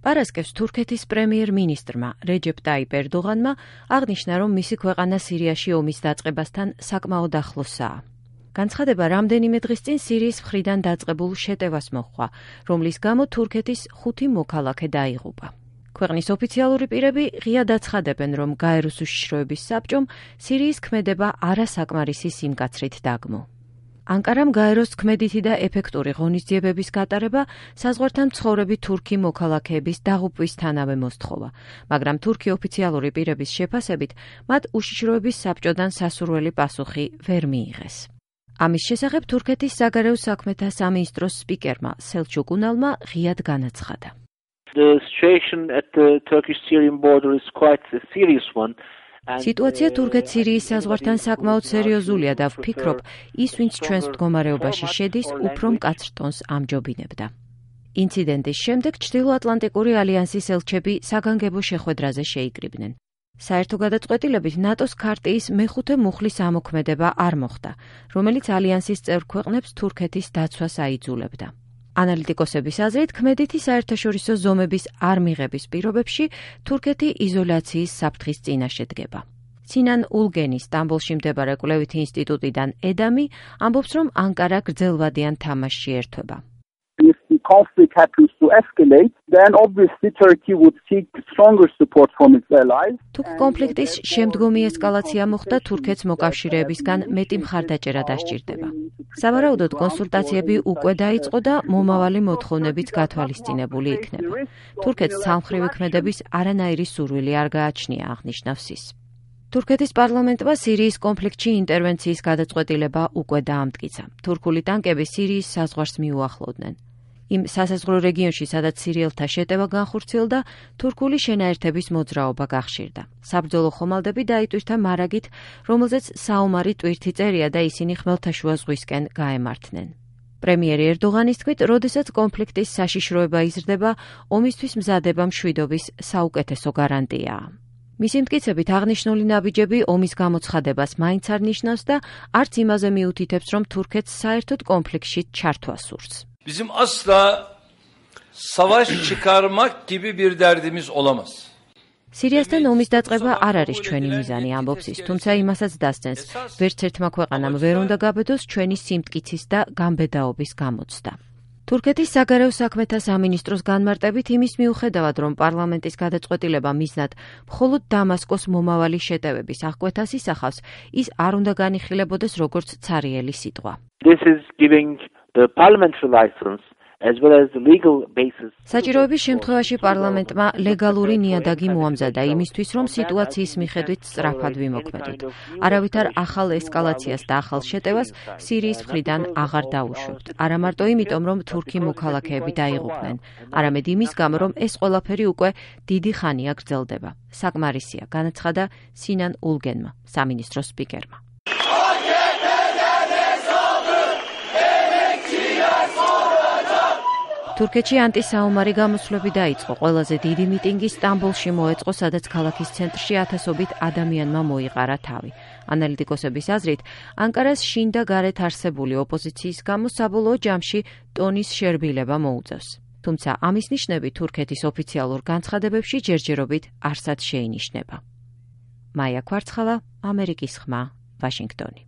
პარასკევს თურქეთის პრემიერ-მინისტრმა რეჯეპ ტაიპ ერდოღანმა აღნიშნა, რომ მისი ქვეყანა სირიაში ომის დაწყებასთან საკმაოდ ახლოსაა. განცხადება რამდენიმე დღის წინ სირიის მხრიდან დაწყებულ შეტევას მოჰყვა, რომლის გამო თურქეთის 5 მოქალაქე დაიღუპა. ქვეყნის ოფიციალური პირები ღიად აცხადებენ, რომ გაეროს უშიშროების საბჭომ სირიის ქმედება არასაკმარისი სიმკაცრით დაგმო. ანკარამ გაეროს ქმედითი და ეფექტური ღონისძიებების გატარება საზღვართან მცხოვრები თურქი მოქალაქეების დაღუპვისთანავე მოსთხოვა, მაგრამ თურქი ოფიციალური პირების შეფასებით მათ უშიშროების საბჭოდან სასურველი პასუხი ვერ მიიღეს. ამის შესახებ თურქეთის საგარეო საქმეთა სამინისტროს სპიკერმა სელჩუკ უნალმა ღიად განაცხადა. The situation at the Turkish-Syrian border is quite a serious one. სიტუაცია თურქეთ-სირიის საზღვართან საკმაოდ სერიოზულია და ვფიქრობ, ის ვინც ჩვენს მდგომარეობაში შედის, უფრო მკაცრ ტონს ამჯობინებდა. ინციდენტის შემდეგ ჩრდილოატლანტიკური ალიანსის ელჩები საგანგებო შეხვედრაზე შეიკრიბნენ. საერთო გადაწყვეტილებით ნატოს ქარტიის მეხუთე მუხლის ამოქმედება არ მოხდა, რომელიც ალიანსის წევრ ქვეყნებს თურქეთის დაცვას აიძულებდა. ანალიტიკოსების აზრით, ქმედითი საერთაშორისო ზომების არ მიღების პირობებში თურქეთი იზოლაციის საფრთხის წინაშე დგება. სინან ულგენი სტამბოლში მდებარე კვლევითი ინსტიტუტიდან ედამი ამბობს, რომ ანკარა გრძელვადიან თამაშში ერთვება. If the conflict happens to escalate, then obviously Turkey would seek stronger support from its allies. თუ კონფლიქტის შემდგომი ესკალაცია მოხდა, თურქეთს მოკავშირეებისგან მეტი მხარდაჭერა დასჭირდება. სავარაუდოდ კონსულტაციები უკვე დაიწყო და მომავალი მოთხოვნებიც გათვალისწინებული იქნება. თურქეთს ცალმხრივი ქმედების არანაირი სურვილი არ გააჩნია, აღნიშნავს ის. თურქეთის პარლამენტმა სირიის კონფლიქტში ინტერვენციის გადაწყვეტილება უკვე დაამტკიცა. თურქული ტანკები სირიის საზღვარს მიუახლოვდნენ. იმ სასაზღვრო რეგიონში, სადაც სირიელთა შეტევა განხორციელდა, თურქული შენაერთების მოძრაობა გახშირდა. საბრძოლო ხომალდები დაიტვირთა მარაგით, რომელზეც საომარი ტვირთი წერია და ისინი ხმელთაშუა ზღვისკენ გაემართნენ. პრემიერი ერდოღანის თქმით, როდესაც კონფლიქტის საშიშროება იზრდება, ომისთვის მზადება მშვიდობის საუკეთესო გარანტიაა. მისი მტკიცებით აღნიშნული ნაბიჯები ომის გამოცხადებას მაინც არ ნიშნავს და არც იმაზე მიუთითებს, რომ თურქეთს საერთოდ კონფლიქტში ჩართვა სურს. Bizim asla savaş çıkarmak gibi bir derdimiz olamaz. სირიასთან ომის დაწყება არ არის ჩვენი მიზანი, ამბობს ის, თუმცა იმასაც დასცენს, ვერც ერთმა ქვეყანამ ვერ უნდა გაბედოს ჩვენი სიმტკიცის და გამბედაობის გამოცდა. თურქეთის საგარეო საქმეთა სამინისტროს განმარტებით იმის მიუხედავად, რომ პარლამენტის გადაწყვეტილება მიზნად მხოლოდ დამასკოს მომავალი შეტევების აღკვეთას ისახავს, ის არ უნდა განიხილებოდეს როგორც ცარიელი სიტყვა. This is giving the parliamentary license as well as the legal basis. საჭიროების შემთხვევაში პარლამენტმა ლეგალური ნიადაგი მოამზადა იმისთვის, რომ სიტუაციის მიხედვით სწრაფად ვიმოქმედოთ. არავითარ ახალ ესკალაციას და ახალ შეტევას სირიის მხრიდან აღარ დაუშვებთ. არა მარტო იმიტომ, რომ თურქი მოქალაქეები დაიღუპნენ, არამედ იმის გამო, რომ ეს ყველაფერი უკვე დიდი ხანია გრძელდება. საკმარისია, განაცხადა სინან ულგენმა, სამინისტროს სპიკერმა. თურქეთში ანტისაომარი გამოსვლები დაიწყო. ყველაზე დიდი მიტინგი სტამბოლში მოეწყო, სადაც ქალაქის ცენტრში ათასობით ადამიანმა მოიყარა თავი. ანალიტიკოსების აზრით, ანკარას შინ და გარეთ არსებული ოპოზიციის გამო საბოლოო ჯამში ტონის შერბილება მოუწევს. თუმცა ამის ნიშნები თურქეთის ოფიციალურ განცხადებებში ჯერჯერობით არსად შეინიშნება. მაია ქვარცხალა, ამერიკის ხმა, ვაშინგტონი.